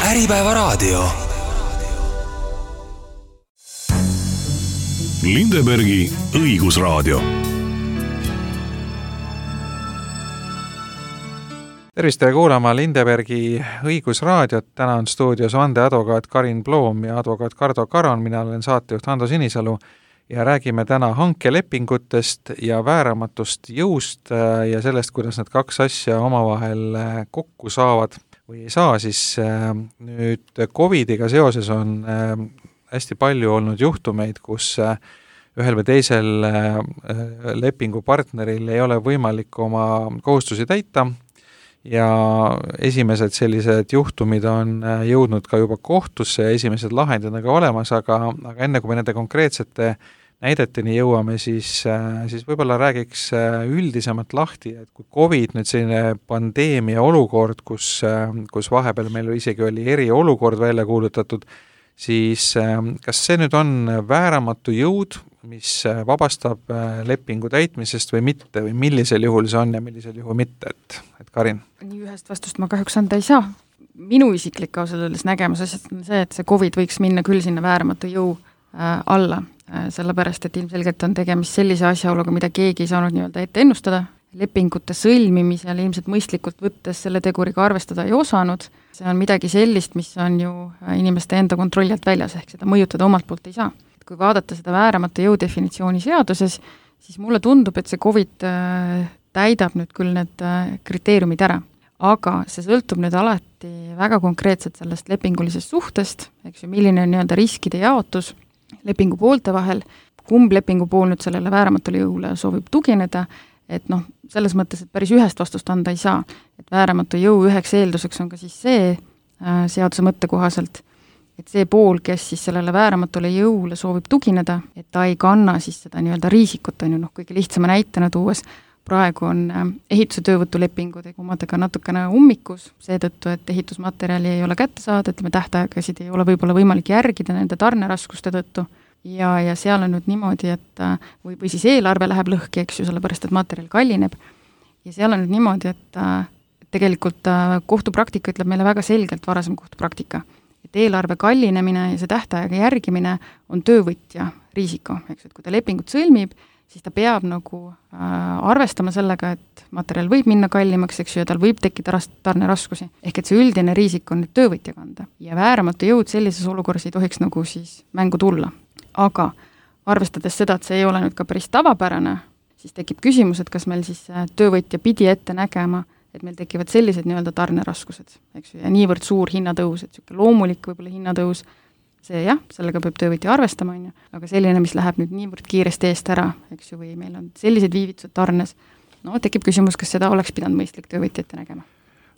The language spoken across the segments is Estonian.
Äripäevaraadio. Lindebergi õigusraadio. Tervist ja kuulama Lindebergi õigusraadiot. Täna on stuudios vandeadvokaat Karin Ploom ja advokaat Kardo Karon. Mina olen saatejuht Hando Sinisalu ja räägime täna hankelepingutest ja vääramatust jõust ja sellest, kuidas need kaks asja omavahel kokku saavad või ei saa. Siis nüüd COVIDiga seoses on hästi palju olnud juhtumeid, kus ühel või teisel lepingupartneril ei ole võimalik oma kohustusi täita ja esimesed sellised juhtumid on jõudnud ka juba kohtusse ja esimesed lahendid on ka olemas, aga enne kui me nende konkreetsete näideteni jõuame, siis võib-olla räägiks üldisemalt lahti, et kui COVID nüüd selline pandeemia olukord, kus vahepeal meil isegi oli eriolukord välja kuulutatud, siis kas see nüüd on vääramatu jõud, mis vabastab lepingu täitmisest või mitte, või millisel juhul see on ja millisel juhul mitte, et Karin? Nii ühest vastust ma kahjuks anda ei saa. Minu isiklik ausalt öeldes nägemus asjast on see, et see COVID võiks minna küll sinna vääramatu jõu alla, sellepärast, et ilmselgelt on tegemist sellise asjaoluga, mida keegi ei saanud nii-öelda ette ennustada. Lepingute sõlmimisel ilmselt mõistlikult võttes selle teguriga arvestada ei osanud. See on midagi sellist, mis on ju inimeste enda kontrolli alt väljas, ehk seda mõjutada omalt poolt ei saa. Kui vaadata seda vääramatu jõu definitsiooni seaduses, siis mulle tundub, et see COVID täidab nüüd küll need kriteeriumid ära. Aga see sõltub nüüd alati väga konkreetselt sellest lepingulisest suhtest, eks ju, milline on nii-öelda riskide jaotus lepingu poolte vahel, kumb lepingu pool nüüd sellele vääramatule jõule soovib tugineda, et selles mõttes, et päris ühest vastust anda ei saa. Et vääramatu jõu üheks eelduseks on ka siis see seaduse mõtte kohaselt, et see pool, kes siis sellele vääramatule jõule soovib tugineda, et ta ei kanna siis seda nii-öelda riisikut, on ju, kõige lihtsama näitena tuues, praegu on ehituse töövõtulepingud omadega natukene ummikus, seetõttu, et ehitusmaterjali ei ole kätte saada, ütleme tähtaegasid ei ole võib-olla võimalik järgida nende tarneraskuste tõttu ja seal on nüüd niimoodi, et või siis eelarve läheb lõhki, eks ju, sellepärast, et materjal kallineb ja seal on nüüd niimoodi, et tegelikult kohtupraktika ütleb meile väga selgelt varasem kohtupraktika, et eelarve kallinemine ja see tähtaega järgimine on töövõtja riisiko, eks, et kui ta lepingut sõlmib, siis ta peab nagu arvestama sellega, et materjal võib minna kallimaks, eks ju, ja tal võib tekkida tarneraskusi. Ehk et see üldine riisik on nüüd töövõtja kanda. Ja vääramatu jõud sellises olukorras ei tohiks nagu siis mängu tulla. Aga arvestades seda, et see ei ole nüüd ka päris tavapärane, siis tekib küsimus, et kas meil siis töövõtja pidi ette nägema, et meil tekivad sellised nii-öelda tarneraskused, eks ju, ja niivõrd suur hinnatõus, et selline loomulik võib-olla hinnatõus, see jah, sellega peab töövõtja arvestama, on ju, aga selline, mis läheb nüüd niivõrd kiiresti eest ära, eks ju, või meil on sellised viivitused tarnes, tekib küsimus, kas seda oleks pidanud mõistlik töövõtja ette nägema.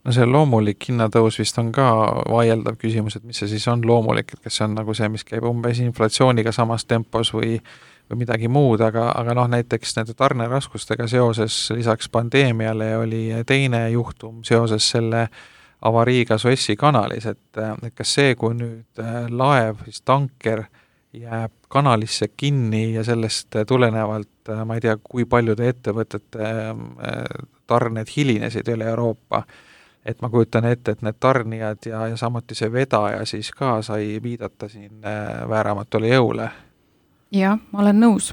No see loomulik hinnatõus vist on ka vaieldav küsimus, et mis see siis on loomulik, et kas see on nagu see, mis käib umbes inflatsiooniga samas tempos või midagi muud, aga näiteks nende tarneraskustega seoses lisaks pandeemiale oli teine juhtum seoses selle avariiga Suessi kanalis, et kas see, kui nüüd laev, siis tanker jääb kanalisse kinni ja sellest tulenevalt, ma ei tea, kui paljude ettevõtete tarned hilinesid üle Euroopa, et ma kujutan ette, et need tarnijad ja samuti see vedaja siis ka sai viidata siin vääramatule jõule. Jah, ma olen nõus.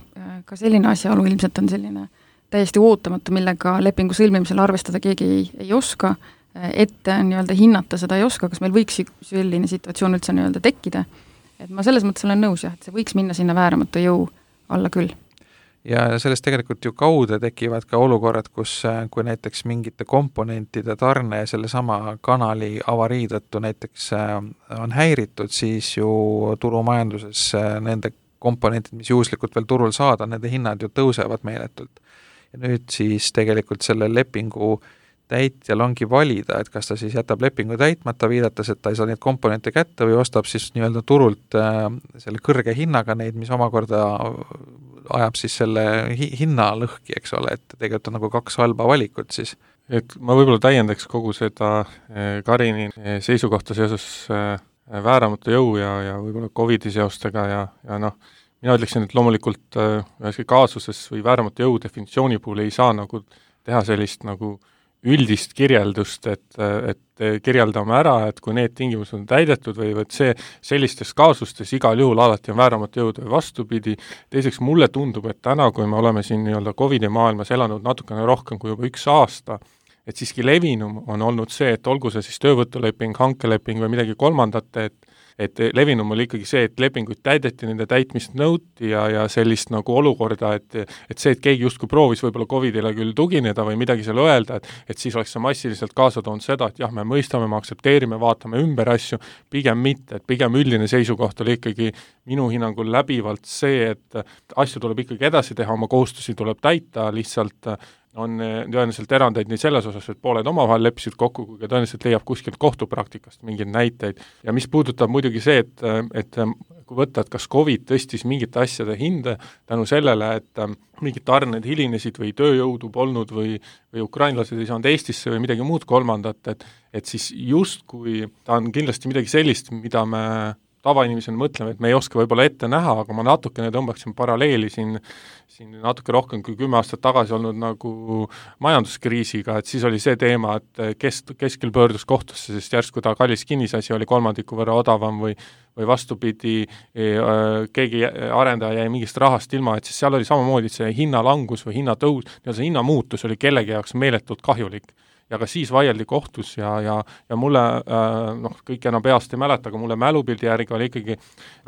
Ka selline asjaolu ilmselt on selline täiesti ootamatu, millega lepingu sõlmimisel arvestada keegi ei oska, ette nii-öelda hinnata seda ei oska, kas meil võiks selline situatsioon üldse nii-öelda tekkida. Et ma selles mõttes olen nõus, et see võiks minna sinna vääramatu jõu alla küll. Ja sellest tegelikult ju kaude tekivad ka olukorrad, kui näiteks mingite komponentide tarne selle sama kanali avarii tõttu näiteks on häiritud, siis ju turumajanduses nende komponentid, mis juhuslikult veel turul saada, nende hinnad ju tõusevad meeletult. Ja nüüd siis tegelikult selle lepingu täitjal ongi valida, et kas ta siis jätab lepingu täitmata, viidates, et ta ei saa neid komponente kätte või ostab siis nii-öelda turult selle kõrge hinnaga neid, mis omakorda ajab siis selle hinna lõhki, eks ole, et tegelikult on nagu kaks halba valikut siis. Et ma võib-olla täiendaks kogu seda Karini seisukohta seoses vääramatu jõu ja võib-olla COVID-i seostega ja mina ütleksin, et loomulikult üheski kaasuses või vääramatu jõu definitsiooni puhul ei saa nagu teha sellist nagu üldist kirjeldust, et kirjeldame ära, et kui need tingimused on täidetud või et sellistes kaasustes igal juhul alati on vääramatu jõud või vastupidi. Teiseks mulle tundub, et täna, kui me oleme siin nii-öelda COVID-i maailmas elanud natukene rohkem kui juba 1 aasta, et siiski levinum on olnud see, et olgu see siis töövõtuleping, hankeleping või midagi kolmandat, et levinum oli ikkagi see, et lepinguid täideti, nende täitmist nõuti ja sellist nagu olukorda, et see, et keegi justkui proovis võib-olla COVID-ile küll tugineda või midagi seal öelda, et siis oleks see massiliselt kaasa toonud seda, et jah, me mõistame, me aktsepteerime, vaatame ümber asju, pigem mitte, et pigem üldine seisukoht oli ikkagi minu hinnangul läbivalt see, et asju tuleb ikkagi edasi teha, oma kohustusi tuleb täita, lihtsalt on tõenäoliselt erandeid nii selles osas, et pooled omavahel leppisid kokku, kui ka tõenäoliselt leiab kuskilt kohtupraktikast mingeid näiteid. Ja mis puudutab muidugi see, et kui võtta, et kas COVID tõstis mingite asjade hinde tänu sellele, et mingid tarned hilinesid või tööjõudu polnud või ukrainlased ei saanud Eestisse või midagi muud kolmandat, et siis justkui ta on kindlasti midagi sellist, mida me tavainimesena mõtleme, et me ei oska võib-olla ette näha, aga ma natukene tõmbaksin paralleeli siin natuke rohkem kui 10 aastat tagasi olnud nagu majanduskriisiga, et siis oli see teema, et keskel pöördus kohtusse, sest järsku ta kallis kinnisasi oli 3 võrra odavam või vastupidi, keegi arendaja jäi mingist rahast ilma, et siis seal oli samamoodi see hinnalangus või hinnatõus, see hinnamuutus oli kellegi jaoks meeletult kahjulik. Ja ka siis vaieldi kohtus ja mulle, kõik enam peast ei mäleta, aga mulle mälupildi järgi oli ikkagi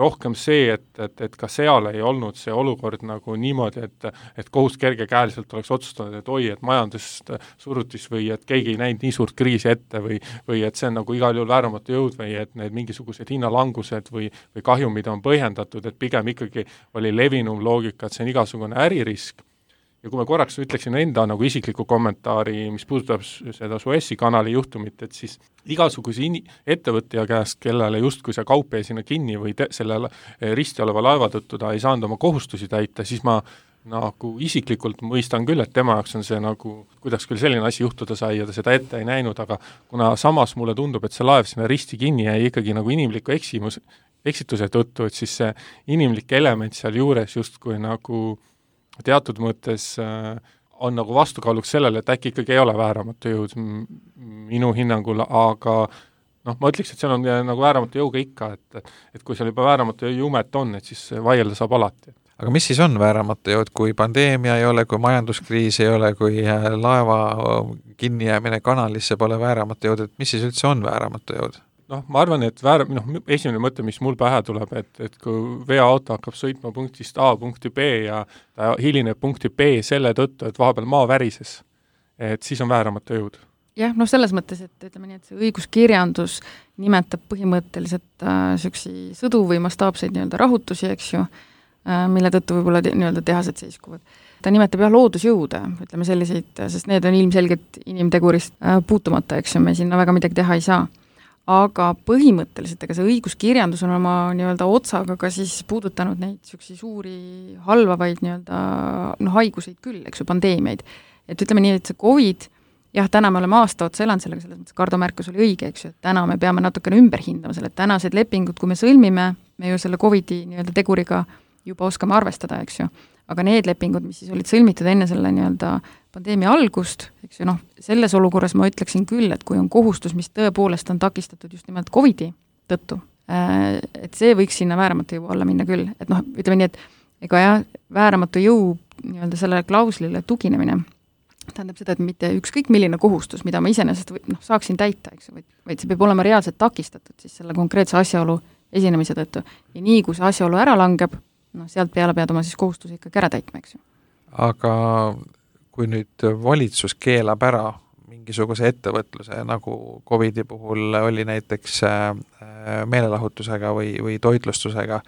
rohkem see, et ka seal ei olnud see olukord nagu niimoodi, et kohus kergekäeliselt oleks otsustanud, et oi, et majandust surutis või et keegi ei näinud nii suurt kriisi ette või et see on nagu igal juhul vääramatu jõud või et need mingisugused hinnalangused või kahjumid on põhjendatud, et pigem ikkagi oli levinum loogika, et see on igasugune äririsk. Ja kui ma korraks ütleksin enda nagu isikliku kommentaari, mis puudutab seda Suessi kanali juhtumit, et siis igasuguse ettevõtja käest, kellele justkui see kaup jäi sinna kinni või selle risti oleva laeva tõttu ta ei saanud oma kohustusi täita, siis ma nagu isiklikult mõistan küll, et tema jaoks on see nagu, kuidas küll selline asi juhtuda sai ja ta seda ette ei näinud, aga kuna samas mulle tundub, et see laev sinna risti kinni jäi ikkagi nagu inimliku eksituse tõttu, et siis see inimlik element seal juures justkui nagu teatud mõttes on nagu vastukaaluks sellele, et äkki ikkagi ei ole vääramatu jõud minu hinnangul, aga ma ütleks, et seal on nagu vääramatu jõuga ikka, et kui seal juba vääramatu jumet on, et siis vaielda saab alati. Aga mis siis on vääramatu jõud, kui pandeemia ei ole, kui majanduskriis ei ole, kui laeva kinnijäämine kanalisse pole vääramatu jõud, et mis siis üldse on vääramatu jõud? Ma arvan, et esimene mõte, mis mul pähe tuleb, et kui veoauto hakkab sõitma punktist A punkti B ja ta hilineb punkti B selle tõttu, et vahepeal maa värises, et siis on vääramatu jõud. Jah, selles mõttes, et ütleme nii, et see õiguskirjandus nimetab põhimõtteliselt süksi sõdu või mastaapseid rahutusi, eks ju, mille tõttu võib-olla tehased seiskuvad. Ta nimetab loodusjõude, ütleme selliseid, sest need on ilmselgelt inimtegurist puutumata, eks ju, me sinna väga midagi teha ei saa. Aga põhimõtteliselt, ega see õiguskirjandus on oma otsaga ka siis puudutanud neid süksi suuri halvavaid haiguseid küll, eks ju, pandeemiaid. Et ütleme nii, et see COVID, jah, täna me oleme aasta otsa elanud sellega, selles mõttes Kardo märkus oli õige, eks ju, et täna me peame natukene ümber hindama selle, et tänased lepingud, kui me sõlmime, me ju selle COVID-i teguriga juba oskame arvestada, eks ju. Aga need lepingud, mis siis olid sõlmitud enne selle pandeemia algust, eks ju, selles olukorras ma ütleksin küll, et kui on kohustus, mis tõepoolest on takistatud just nimelt COVID-i tõttu, et see võiks sinna vääramatu jõu alla minna küll. Et ütleme nii, et ega jah, vääramatu jõu selle klauslile tuginemine tähendab seda, et mitte ükskõik milline kohustus, mida ma iseenesest saaksin täita, eks ju, vaid see peab olema reaalselt takistatud siis selle konkreetse asjaolu esinemise tõttu. Ja nii, kui see asjaolu ära langeb, sealt peale pead oma siis kohustusi ikkagi ära täitma, eks ju. Aga kui nüüd valitsus keelab ära mingisuguse ettevõtluse, nagu COVID-i puhul oli näiteks meelelahutusega või toitlustusega,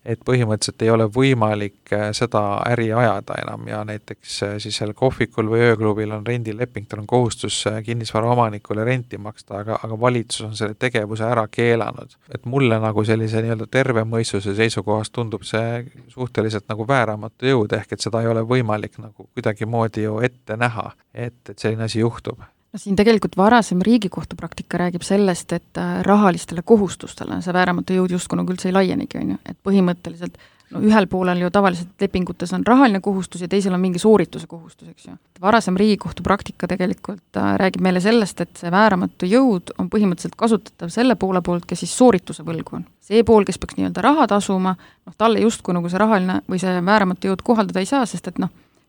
et põhimõtteliselt ei ole võimalik seda äri ajada enam ja näiteks siis seal kohvikul või ööklubil on rendileping, tal on kohustus kinnisvara omanikule renti maksta, aga valitsus on selle tegevuse ära keelanud. Et mulle nagu sellise terve mõistuse seisukohast tundub see suhteliselt nagu vääramatu jõud, ehk et seda ei ole võimalik nagu kuidagimoodi ju ette näha, et selline asi juhtub. Siin tegelikult varasem Riigikohtu praktika räägib sellest, et rahalistele kohustustele see vääramatu jõud justkui nagu üldse ei laienigi, et põhimõtteliselt no ühel poolel ju tavaliselt lepingutes on rahaline kohustus ja teisel on mingi soorituse kohustus, eks ju. Varasem Riigikohtu praktika tegelikult räägib meile sellest, et see vääramatu jõud on põhimõtteliselt kasutatav selle poole poolt, kes siis soorituse võlgu on. See pool, kes peaks nii-öelda raha tasuma, talle justkui nagu see rahaline või see vääramatu jõud kohaldada ei saa, sest et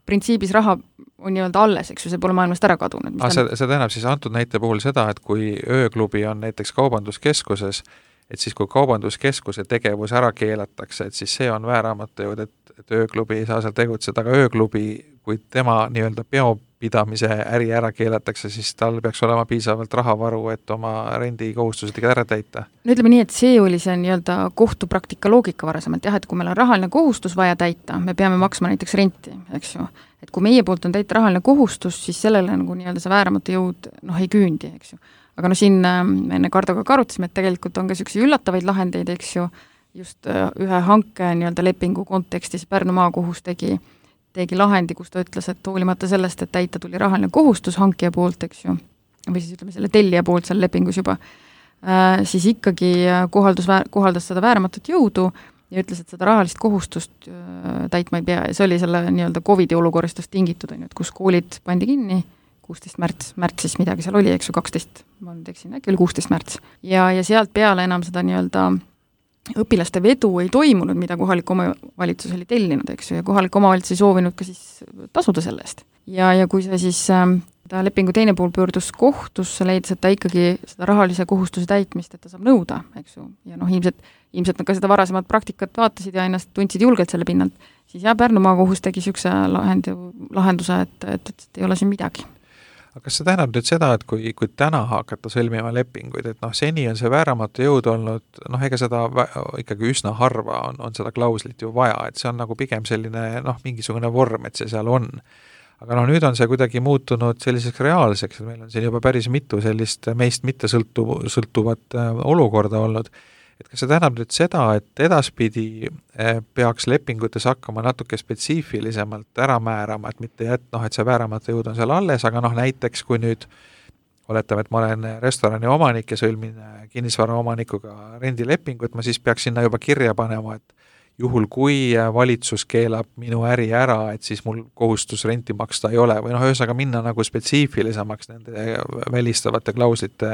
printsiibis raha on nii-öelda alles, eks ju, see pole maailmast ära kadunud. See tähendab siis antud näite puhul seda, et kui ööklubi on näiteks kaubanduskeskuses, et siis kui kaubanduskeskuse tegevus ära keelatakse, et siis see on vääramatu jõud, et ööklubi ei saa seal tegutseda, aga ööklubi, kui tema nii-öelda peopidamise äri ära keelatakse, siis tal peaks olema piisavalt rahavaru, et oma rendikohustused ära täita. No ütleme nii, et see oli see nii-öelda kohtupraktika loogika varasemalt, jah, et kui meil on rahaline kohustus vaja täita, me peame maksma näiteks renti, eks ju, et kui meie poolt on täita rahaline kohustus, siis sellele nagu nii-öelda see vääramatu jõud ei küündi, eks ju. Aga siin me enne Kardoga arutasime, et tegelikult on ka niisuguseid üllatavaid lahendeid, eks ju, just ühe hanke nii-öelda lepingu kontekstis Pärnu maakohus tegi lahendi, kus ta ütles, et hoolimata sellest, et täita tuli rahaline kohustus hankija poolt, eks ju, või siis ütleme selle tellija poolt seal lepingus juba, siis ikkagi kohaldas seda vääramatut jõudu ja ütles, et seda rahalist kohustust täitma ei pea ja see oli selle nii-öelda COVID-i olukorrastust tingitud, et kus koolid pandi kinni 16 märtsis midagi seal oli, eks ju, 12, ma nüüd eksin, äkki oli 16 märts. Ja sealt peale enam seda nii-öelda õpilaste vedu ei toimunud, mida kohalik omavalitsus oli tellinud, eks ju, ja kohalik omavalitsus ei soovinud ka siis tasuda selle eest. Ja kui see siis ta lepingu teine pool pöördus kohtusse, leidis, et ta ikkagi seda rahalise kohustuse täitmist, et ta saab nõuda, eks ju, ja ilmselt nad ka seda varasemat praktikat vaatasid ja ennast tundsid julgelt selle pinnalt, siis Pärnu maakohus tegi niisuguse lahenduse, et ei ole siin midagi. Aga kas see tähendab nüüd seda, et kui täna hakata sõlmima lepinguid, et seni on see vääramatu jõud olnud, ega seda ikkagi üsna harva on seda klauslit ju vaja, et see on nagu pigem selline mingisugune vorm, et see seal on. Aga nüüd on see kuidagi muutunud selliseks reaalseks, et meil on siin juba päris mitu sellist meist mitte sõltuvat olukorda olnud. Et kas see tähendab nüüd seda, et edaspidi peaks lepingutes hakkama natuke spetsiifilisemalt ära määrama, et mitte et see vääramatu jõud on seal alles, aga näiteks kui nüüd oletame, et ma olen restorani omanik ja sõlmin kinnisvara omanikuga rendilepingut, ma siis peaks sinna juba kirja panema, et juhul kui valitsus keelab minu äri ära, et siis mul kohustus renti maksta ei ole või ühesõnaga minna nagu spetsiifilisemaks nende välistavate klauslite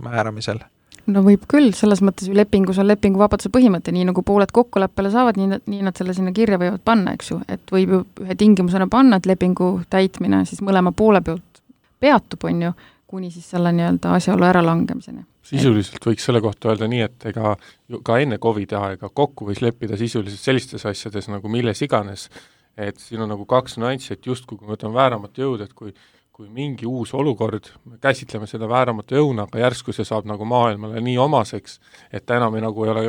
määramisel. No võib küll, selles mõttes ju lepingus on lepinguvabaduse põhimõte, nii nagu pooled kokkuleppele saavad, nii nad selle sinna kirja võivad panna, eks ju, et võib ju ühe tingimusena panna, et lepingu täitmine siis mõlema poole pealt peatub, on ju, kuni siis selle nii-öelda asjaolu äralangemiseni. Sisuliselt võiks selle kohta öelda nii, et ega ka enne COVID aega kokku võis leppida sisuliselt sellistes asjades nagu milles iganes, et siin on nagu kaks nüanssi, et just kui me võtame vääramatu jõud, et kui mingi uus olukord, me käsitleme seda vääramatu jõuna, aga järsku see saab nagu maailmale nii omaseks, et ta enam nagu ei ole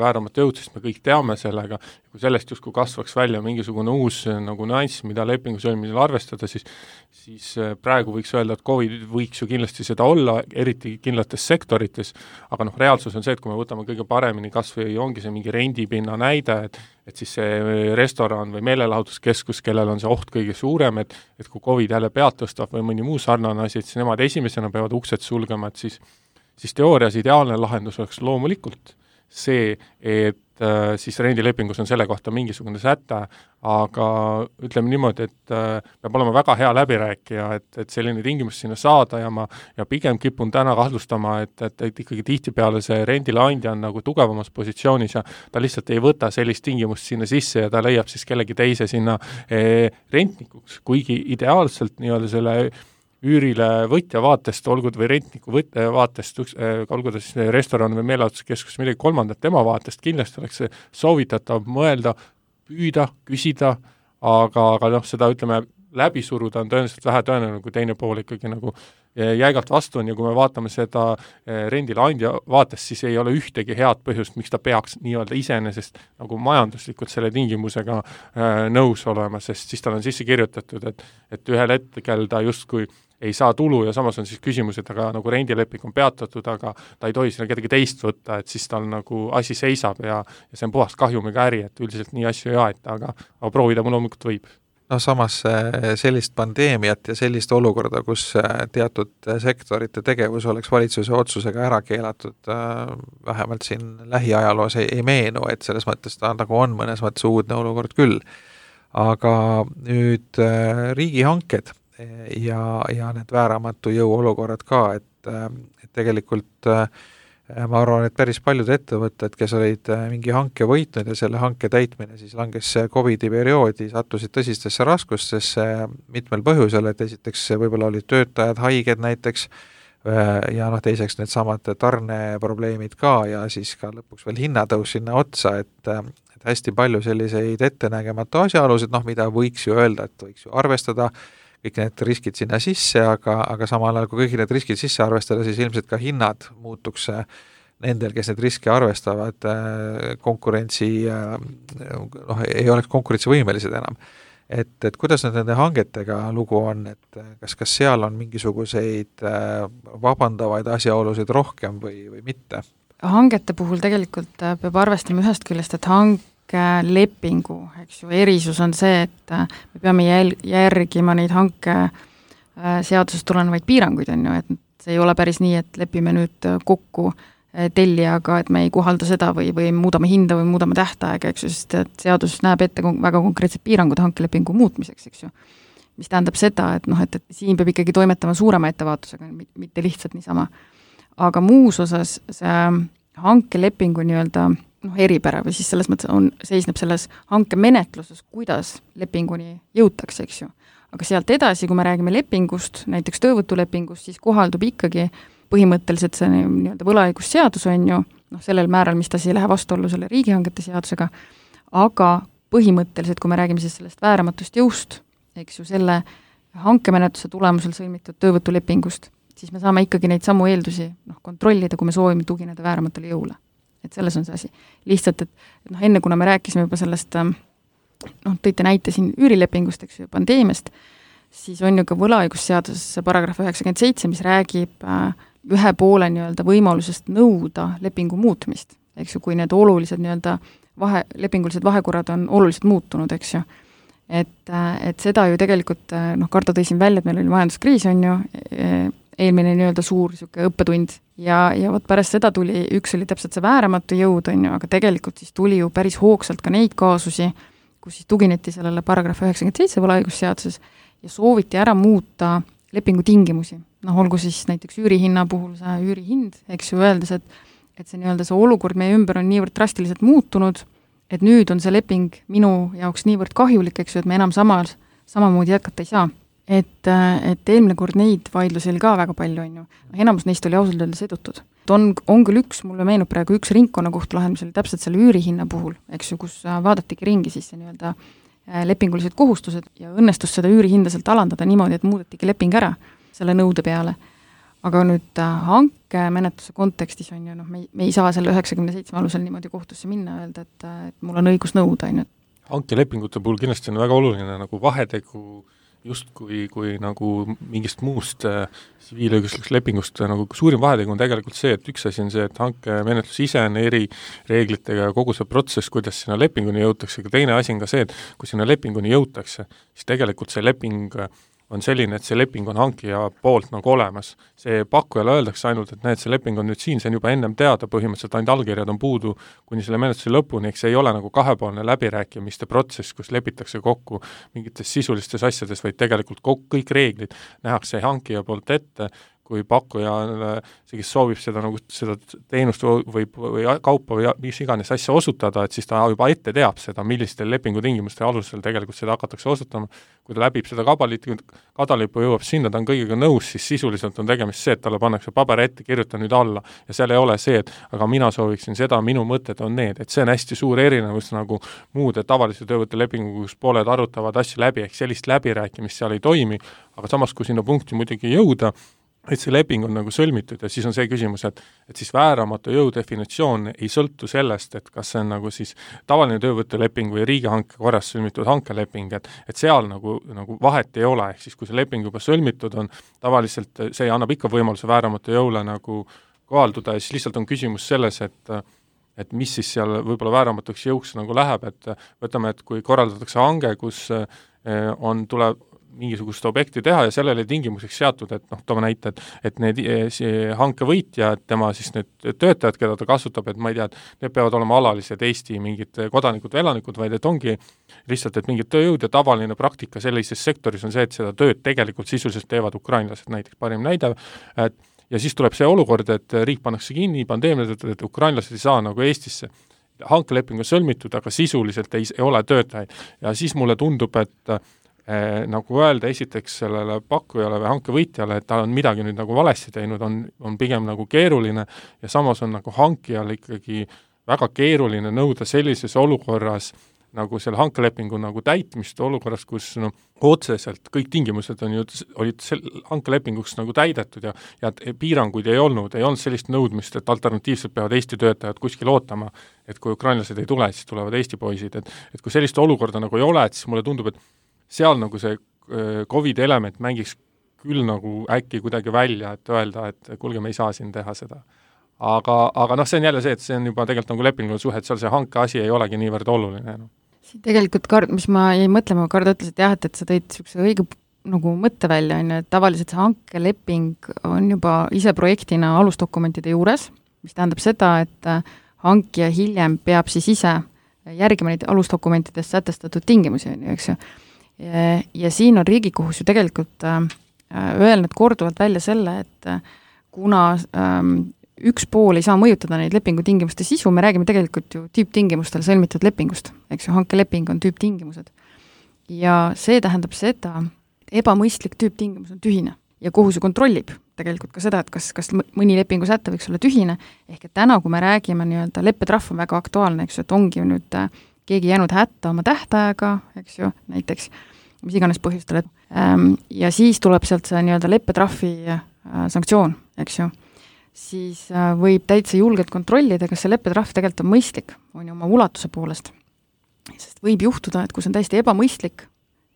vääramatu jõud, sest me kõik teame sellega, kui sellest justkui kasvaks välja mingisugune uus nagu nüanss, mida lepingu sõlmisel arvestada, siis praegu võiks öelda, et COVID võiks ju kindlasti seda olla, eriti kindlates sektorites, aga reaalsus on see, et kui me võtame kõige paremini kas või ongi see mingi rendipinna näide, et siis see restoran või meelelahutuskeskus, kellel on see oht kõige suurem, et kui COVID jälle pead tõstab või mõni muu sarnane asi, et siis nemad esimesena peavad uksed sulgema, et siis teoorias ideaalne lahendus oleks loomulikult see, et siis rendilepingus on selle kohta mingisugune säte, aga ütleme niimoodi, et peab olema väga hea läbirääkija, et selline tingimus sinna saada ja pigem kipun täna kahtlustama, et ikkagi tihtipeale see rendileandja on nagu tugevamas positsioonis ja ta lihtsalt ei võta sellist tingimust sinna sisse ja ta leiab siis kellegi teise sinna rentnikuks, kuigi ideaalselt nii-öelda selle üürile võtja vaatest, olgu või rentniku vaatest, olgu ta siis restoran või meelelahutuskeskus midagi kolmandat, tema vaatest kindlasti oleks soovitatav mõelda, püüda, küsida, aga seda ütleme läbi suruda on tõenäoliselt vähe tõenäoline, kui teine pool ikkagi nagu jäigalt vastu on ja kui me vaatame seda rendileandja vaatest, siis ei ole ühtegi head põhjust, miks ta peaks nii-öelda iseenesest nagu majanduslikult selle tingimusega nõus olema, sest siis tal on sisse kirjutatud, et ühel hetkel ta justkui ei saa tulu ja samas on siis küsimus, et aga nagu rendileping on peatatud, aga ta ei tohi sinna kedagi teist võtta, et siis tal nagu asi seisab ja see on puhast kahjumiga äri, et üldiselt nii asju ei aeta, aga proovida mul loomulikult võib. samas sellist pandeemiat ja sellist olukorda, kus teatud sektorite tegevus oleks valitsuse otsusega ära keelatud, vähemalt siin lähiajaloos ei meenu, et selles mõttes ta nagu on mõnes mõttes uudne olukord küll. Aga nüüd riigihanked ja need vääramatu jõu olukorrad ka, et tegelikult ma arvan, et päris paljud ettevõtted, kes olid mingi hanke võitnud ja selle hanke täitmine siis langes COVID-i perioodi, sattusid tõsistesse raskustesse mitmel põhjusel, et esiteks võib-olla olid töötajad haiged näiteks ja teiseks need samad tarneprobleemid ka ja siis ka lõpuks veel hinnatõus sinna otsa, et hästi palju selliseid ettenägematu asjaolusid, mida võiks ju öelda, et võiks ju arvestada kõik need riskid sinna sisse, aga samal ajal, kui kõik need riskid sisse arvestada, siis ilmselt ka hinnad muutuks nendel, kes need riske arvestavad, ei oleks konkurentsivõimelised enam. Et kuidas nende hangetega lugu on, et kas seal on mingisuguseid vabandavaid asjaolusid rohkem või mitte? Hangete puhul tegelikult peab arvestama ühest küljest, et lepingu, eks ju, erisus on see, et me peame järgima neid hanke seadusest tulenevaid piiranguid, on ju, et see ei ole päris nii, et lepime nüüd kokku tellijaga, et me ei kohalda seda või muudame hinda või muudame tähtaega, eks ju, sest et seadus näeb ette väga konkreetsed piirangud hankelepingu muutmiseks, eks ju. Mis tähendab seda, et siin peab ikkagi toimetama suurema ettevaatusega, mitte lihtsalt niisama. Aga muus osas see hankelepingu nii-öelda eripära või siis selles mõttes seisneb selles hankemenetluses, kuidas lepinguni jõutakse, eks ju. Aga sealt edasi, kui me räägime lepingust, näiteks töövõtulepingust, siis kohaldub ikkagi põhimõtteliselt see nii-öelda võlaõigusseadus on ju, sellel määral, mis ta ei lähe vastuollu selle riigihangete seadusega, aga põhimõtteliselt, kui me räägime siis sellest vääramatust jõust, eks ju, selle hankemenetluse tulemusel sõlmitud töövõtulepingust, siis me saame ikkagi neid samu eeldusi kontrollida, kui me soovime tugineda vääramatule jõule. Et selles on see asi. Lihtsalt, et enne kuna me rääkisime juba sellest, tõite näite siin üürilepingust, eks ju, pandeemiast, siis on ju ka võlaõigusseaduses paragrahv 97, mis räägib ühe poole nii-öelda võimalusest nõuda lepingu muutmist, eks ju, kui need olulised nii-öelda lepingulised vahekorrad on oluliselt muutunud, eks ju. Et seda ju tegelikult, Kardo tõi siin välja, et meil oli majanduskriis, on ju, eelmine nii-öelda suur õppetund ja võt pärast seda tuli, üks oli täpselt see vääramatu jõud, on ju, aga tegelikult siis tuli ju päris hoogsalt ka neid kaasusi, kus siis tugineti sellele paragrahv 97 võlaõigusseaduses ja sooviti ära muuta lepingu tingimusi. Olgu siis näiteks üürihinna puhul see üürihind, eks ju, öeldes, et see nii-öelda see olukord meie ümber on niivõrd drastiliselt muutunud, et nüüd on see leping minu jaoks niivõrd kahjulik, eks ju, et me enam samamoodi jätkata ei saa. Et eelmine kord neid vaidlusi oli ka väga palju, on ju. Enamus neist oli ausalt öeldes edutud. On küll mulle meenub praegu üks ringkonnakohtu lahend, mis oli täpselt selle üürihinna puhul, eks ju, kus vaadatigi ringi siis nii-öelda lepingulised kohustused ja õnnestus seda üürihinda sealt alandada niimoodi, et muudetigi leping ära selle nõude peale. Aga nüüd hankemenetluse kontekstis on ju, me ei saa selle 97 alusel niimoodi kohtusse minna öelda, et mul on õigus nõuda, on ju. Hankelepingute puhul kindlasti on väga oluline nagu vahetegu just kui nagu mingist muust tsiviilõiguslikust lepingust nagu suurim vahetegu on tegelikult see, et üks asi on see, et hankemenetlus ise on eri reeglitega ja kogu see protsess, kuidas sinna lepinguni jõutakse, aga teine asi on ka see, et kui sinna lepinguni jõutakse, siis tegelikult see leping on selline, et see leping on hankija poolt nagu olemas. See pakkujale öeldakse ainult, et näed, see leping on nüüd siin, see on juba ennem teada, põhimõtteliselt ainult allkirjad on puudu kuni selle menetluse lõpuni, eks see ei ole nagu kahepoolne läbirääkimiste protsess, kus lepitakse kokku mingites sisulistes asjades, vaid tegelikult kõik reeglid nähakse hankija poolt ette, kui pakkuja, see, kes soovib seda teenust või kaupa või mis iganes asja osutada, et siis ta juba ette teab seda, millistel lepingutingimuste alusel tegelikult seda hakatakse osutama. Kui ta läbib seda kadalipu jõuab sinna, ta on kõigega nõus, siis sisuliselt on tegemist see, et talle pannakse paber ette, kirjuta nüüd alla ja seal ei ole see, et aga mina sooviksin seda, minu mõtted on need, et see on hästi suur erinevus nagu muude tavalise töövõtulepingu, kus pooled arutavad asju läbi, ehk sellist läbirääkimist seal ei toimi, aga samas, kui sinna punkti muidugi jõuda, et see leping on nagu sõlmitud ja siis on see küsimus, et siis vääramatu jõu definitsioon ei sõltu sellest, et kas see on nagu siis tavaline töövõtuleping või riigihanke korras sõlmitud hankeleping, et seal nagu vahet ei ole, ehk siis kui see leping juba sõlmitud on, tavaliselt see annab ikka võimaluse vääramatu jõule nagu kohalduda ja siis lihtsalt on küsimus selles, et mis siis seal võib-olla vääramatuks jõuks nagu läheb, et võtame, et kui korraldatakse hange, kus tuleb mingisugust objekti teha ja sellele tingimuseks seatud, et toome näite, et need hanke võitja, tema siis need töötajad, keda ta kasutab, et ma ei tea, et need peavad olema alalised Eesti mingid kodanikud või elanikud, vaid et ongi lihtsalt, et mingid tööjõud ja tavaline praktika sellises sektoris on see, et seda tööd tegelikult sisuliselt teevad ukrainlased, näiteks parim näide, ja siis tuleb see olukord, et riik pannakse kinni, pandeemia tõttu, et ukrainlased ei saa nagu Eestisse hankeleping on sõlmitud, aga sisuliselt ei ole töötajaid. Ja siis mulle tundub, et nagu öelda esiteks sellele pakkujale või hankevõitjale, et ta on midagi nüüd nagu valesti teinud, on pigem nagu keeruline ja samas on nagu hankijal ikkagi väga keeruline nõuda sellises olukorras nagu selle hankelepingu nagu täitmist olukorras, kus otseselt kõik tingimused olid hankelepinguks nagu täidetud ja piiranguid ei olnud sellist nõudmist, et alternatiivselt peavad Eesti töötajad kuskil ootama, et kui ukrainlased ei tule, siis tulevad Eesti poisid, et kui sellist olukorda nagu ei ole, et siis mulle tundub, et seal nagu see COVID element mängiks küll nagu äkki kuidagi välja, et öelda, et kuulge, me ei saa siin teha seda. Aga see on jälle see, et see on juba tegelikult nagu lepinguline suhe, et seal see hanke asi ei olegi niivõrd oluline. Siin tegelikult mis ma jäin mõtlema, Kardo ütles, et jah, et sa tõid niisuguse õige nagu mõtte välja, et tavaliselt see hankeleping on juba ise projektina alusdokumentide juures, mis tähendab seda, et hankija hiljem peab siis ise järgima neid alusdokumentides sätestatud tingimusi, eks ju. Ja siin on Riigikohus ju tegelikult öelnud korduvalt välja selle, et kuna üks pool ei saa mõjutada neid lepingutingimuste sisu, me räägime tegelikult ju tüüptingimustel sõlmitud lepingust, eks ju, hankeleping on tüüptingimused. Ja see tähendab seda, et ebamõistlik tüüptingimus on tühine ja kohus ju kontrollib tegelikult ka seda, et kas mõni lepingu säte võiks olla tühine, ehk et täna, kui me räägime nii-öelda leppetrahv on väga aktuaalne, eks ju, et ongi ju nüüd keegi jäänud hätta oma tähtaega, eks ju, näiteks mis iganes põhjustel, ja siis tuleb sealt see nii-öelda leppetrahvi sanktsioon, eks ju, siis võib täitsa julgelt kontrollida, kas see leppetrahv tegelikult on mõistlik, on ju oma ulatuse poolest. Sest võib juhtuda, et kui see on täiesti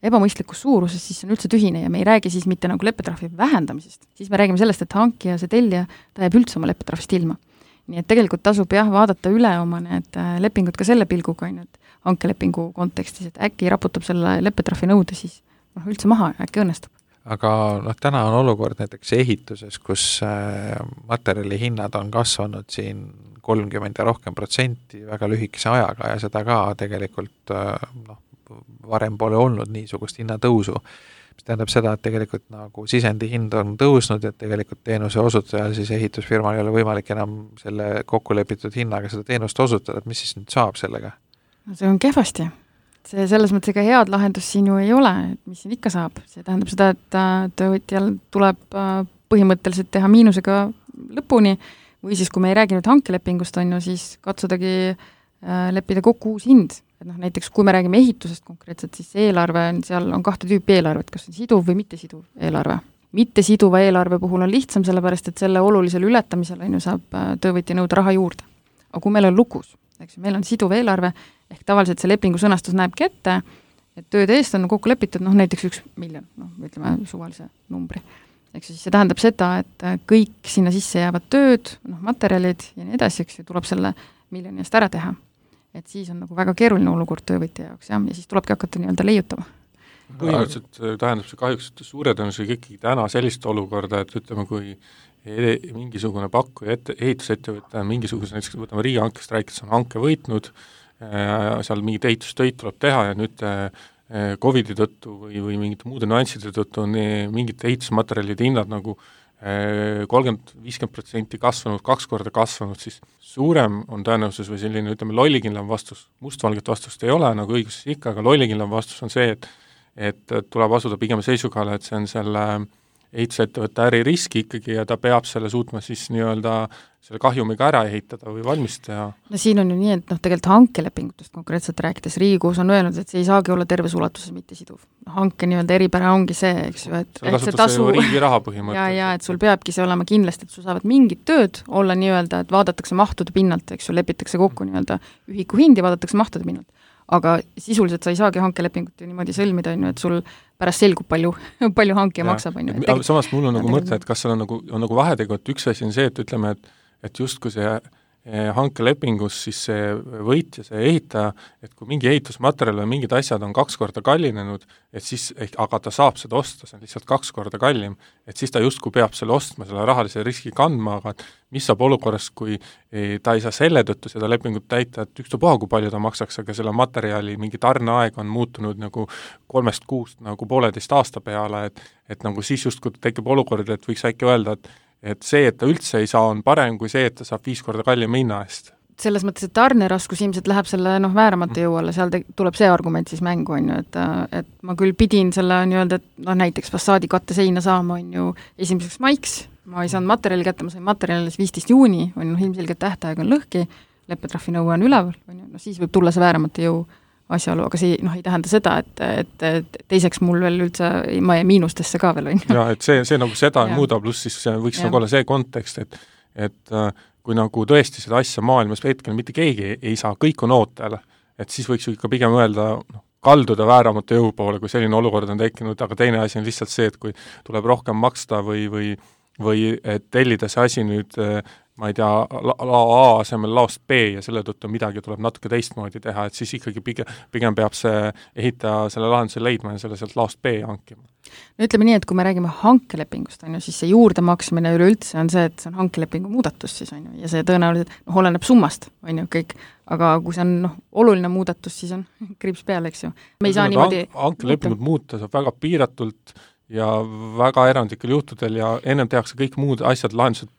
ebamõistlikus suuruses, siis see on üldse tühine ja me ei räägi siis mitte nagu leppetrahvi vähendamisest, siis me räägime sellest, et hankija, see tellija, ta jääb üldse oma leppetrahvist ilma. Nii et tegelikult tasub vaadata üle oma need lepingud ka selle pilguga, et hankelepingu kontekstis, et äkki raputab selle leppetrahvi nõude siis üldse maha ja äkki õnnestub. Aga täna on olukord näiteks ehituses, kus materjali hinnad on kasvanud siin 30% ja rohkem protsenti väga lühikese ajaga ja seda ka tegelikult varem pole olnud niisugust hinnatõusu. Mis tähendab seda, et tegelikult nagu sisendi hind on tõusnud, et tegelikult teenuse osutajal siis ehitusfirmal ei ole võimalik enam selle kokkulepitud hinnaga seda teenust osutada, et mis siis nüüd saab sellega? No see on kehvasti. See selles mõttes ega head lahendus siin ju ei ole, et mis siin ikka saab. See tähendab seda, et töövõtjal tuleb põhimõtteliselt teha miinusega lõpuni või siis, kui me ei räägi nüüd hankelepingust, on ju, siis katsudagi leppida kokku uus hind. Et näiteks kui me räägime ehitusest konkreetselt, siis eelarve, seal on 2 tüüpi eelarvet, kas on siduv või mittesiduv eelarve. Mittesiduva eelarve puhul on lihtsam, sellepärast et selle olulisel ületamisel on ju saab töövõtja nõuda raha juurde. Aga kui meil on lukus, eks meil on siduv eelarve, ehk tavaliselt see lepingu sõnastus näebki ette, et tööde eest on kokku lepitud, näiteks 1 miljon, ütleme suvalise numbri. Eks siis see tähendab seda, et kõik sinna sisse jäävad tööd, materjalid ja nii edasi, eks ju, tuleb selle miljoni eest ära teha. Et siis on nagu väga keeruline olukord töövõtja jaoks ja siis tulebki hakata nii-öelda leiutama. Põhimõtteliselt tähendab see kahjuks, et suure tõenäosusega ikkagi täna sellist olukorda, et ütleme, kui mingisugune pakkuja ehitusettevõte mingisuguse, näiteks võtame riigihankest rääkides, on hanke võitnud, seal mingid ehitustöid tuleb teha ja nüüd COVID-i tõttu või mingite muude nüansside tõttu on mingite ehitusmaterjalide hinnad nagu 30-50% kasvanud, 2 korda kasvanud, siis suurem on tõenäosus või selline, ütleme, lollikindlam vastus, mustvalget vastust ei ole, nagu õiguses ikka, aga lollikindlam vastus on see, et tuleb asuda pigem seisukohale, et see on selle ehitusettevõtte äririski ikkagi ja ta peab selle suutma siis nii-öelda selle kahjumiga ära ehitada või valmis teha. No siin on ju nii, et tegelikult hankelepingutest konkreetselt rääkides Riigikohus on öelnud, et see ei saagi olla terves ulatuses mitte siduv. Hanke nii-öelda eripära ongi see, eks ju, et see tasu riigi raha põhimõtteliselt. Ja, et sul peabki see olema kindlasti, et sul saavad mingid tööd olla nii-öelda, et vaadatakse mahtude pinnalt, eks ju, lepitakse kokku nii-öelda ühiku hindi, vaadatakse mahtude pinnalt. Aga sisuliselt sa ei saagi hankelepingut ju niimoodi sõlmida, et sul pärast selgub palju hankija maksab. Samas mul on nagu mõte, et kas seal on nagu vahetegu, et üks asi on see, et ütleme, et justkui see hankelepingus siis see võitja, see ehitaja, et kui mingi ehitusmaterjal või mingid asjad on 2 korda kallinenud, et siis, aga ta saab seda osta, see on lihtsalt 2 korda kallim, et siis ta justkui peab selle ostma, selle rahalise riski kandma, aga mis saab olukorras, kui ta ei saa selle tõttu seda lepingut täita, et ükstapuha, kui palju ta maksaks, aga selle materjali mingi tarneaeg on muutunud nagu 3 kuust nagu 1,5 aasta peale, et nagu siis justkui tekib olukord, et võiks äkki öelda, et see, et ta üldse ei saa, on parem kui see, et ta saab 5 korda kallima hinna eest. Selles mõttes, et tarneraskus ilmselt läheb selle vääramatu jõu alla, seal tuleb see argument siis mängu, on ju, et ma küll pidin selle nii-öelda, et näiteks fassaadi katteseina saama, on ju, 1. maiks, ma ei saanud materjali kätte, ma sain materjali 15. juuni, on ju, ilmselgelt tähtaeg on lõhki, leppetrahvi nõue on üleval, on ju, siis võib tulla see vääramatu jõu asjaolu, aga see ei tähenda seda, et teiseks mul veel üldse, ma jäin miinustesse ka veel, on ju. Jaa, et see nagu seda ei muuda, pluss siis võiks nagu olla see kontekst, et kui nagu tõesti seda asja maailmas hetkel mitte keegi ei saa, kõik on ootel, et siis võiks ju ikka pigem öelda, kalduda vääramatu jõu poole, kui selline olukord on tekkinud, aga teine asi on lihtsalt see, et kui tuleb rohkem maksta või tellida see asi nüüd ma ei tea, lao A asemel laost B ja selle tõttu midagi tuleb natuke teistmoodi teha, et siis ikkagi pigem peab see ehitaja selle lahenduse leidma ja selle sealt laost B hankima. No ütleme nii, et kui me räägime hankelepingust, on ju, siis see juurdemaksmine üleüldse on see, et see on hankelepingu muudatus siis, on ju, ja see tõenäoliselt oleneb summast, on ju, kõik, aga kui see on oluline muudatus, siis on kriips peal, eks ju. Me ei saa niimoodi hankelepingut muuta saab väga piiratult ja väga erandlikel juhtudel ja ennem tehakse kõik muud asjad, lahendused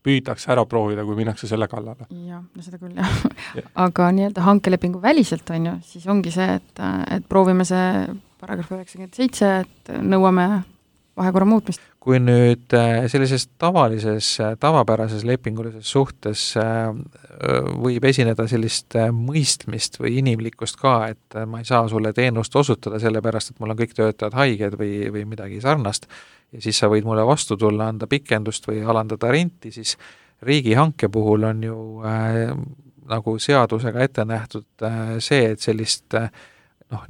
püütakse ära proovida, kui minnakse selle kallale. Jah, no seda küll, jah. Aga nii-öelda hankelepingu väliselt, on ju, siis ongi see, et proovime see paragrahv 97, et nõuame vahekorra muutmist. Kui nüüd sellises tavapärases lepingulises suhtes võib esineda sellist mõistmist või inimlikkust ka, et ma ei saa sulle teenust osutada sellepärast, et mul on kõik töötajad haiged või midagi sarnast, ja siis sa võid mulle vastu tulla, anda pikendust või alandada renti, siis riigihanke puhul on ju nagu seadusega ette nähtud see, et sellist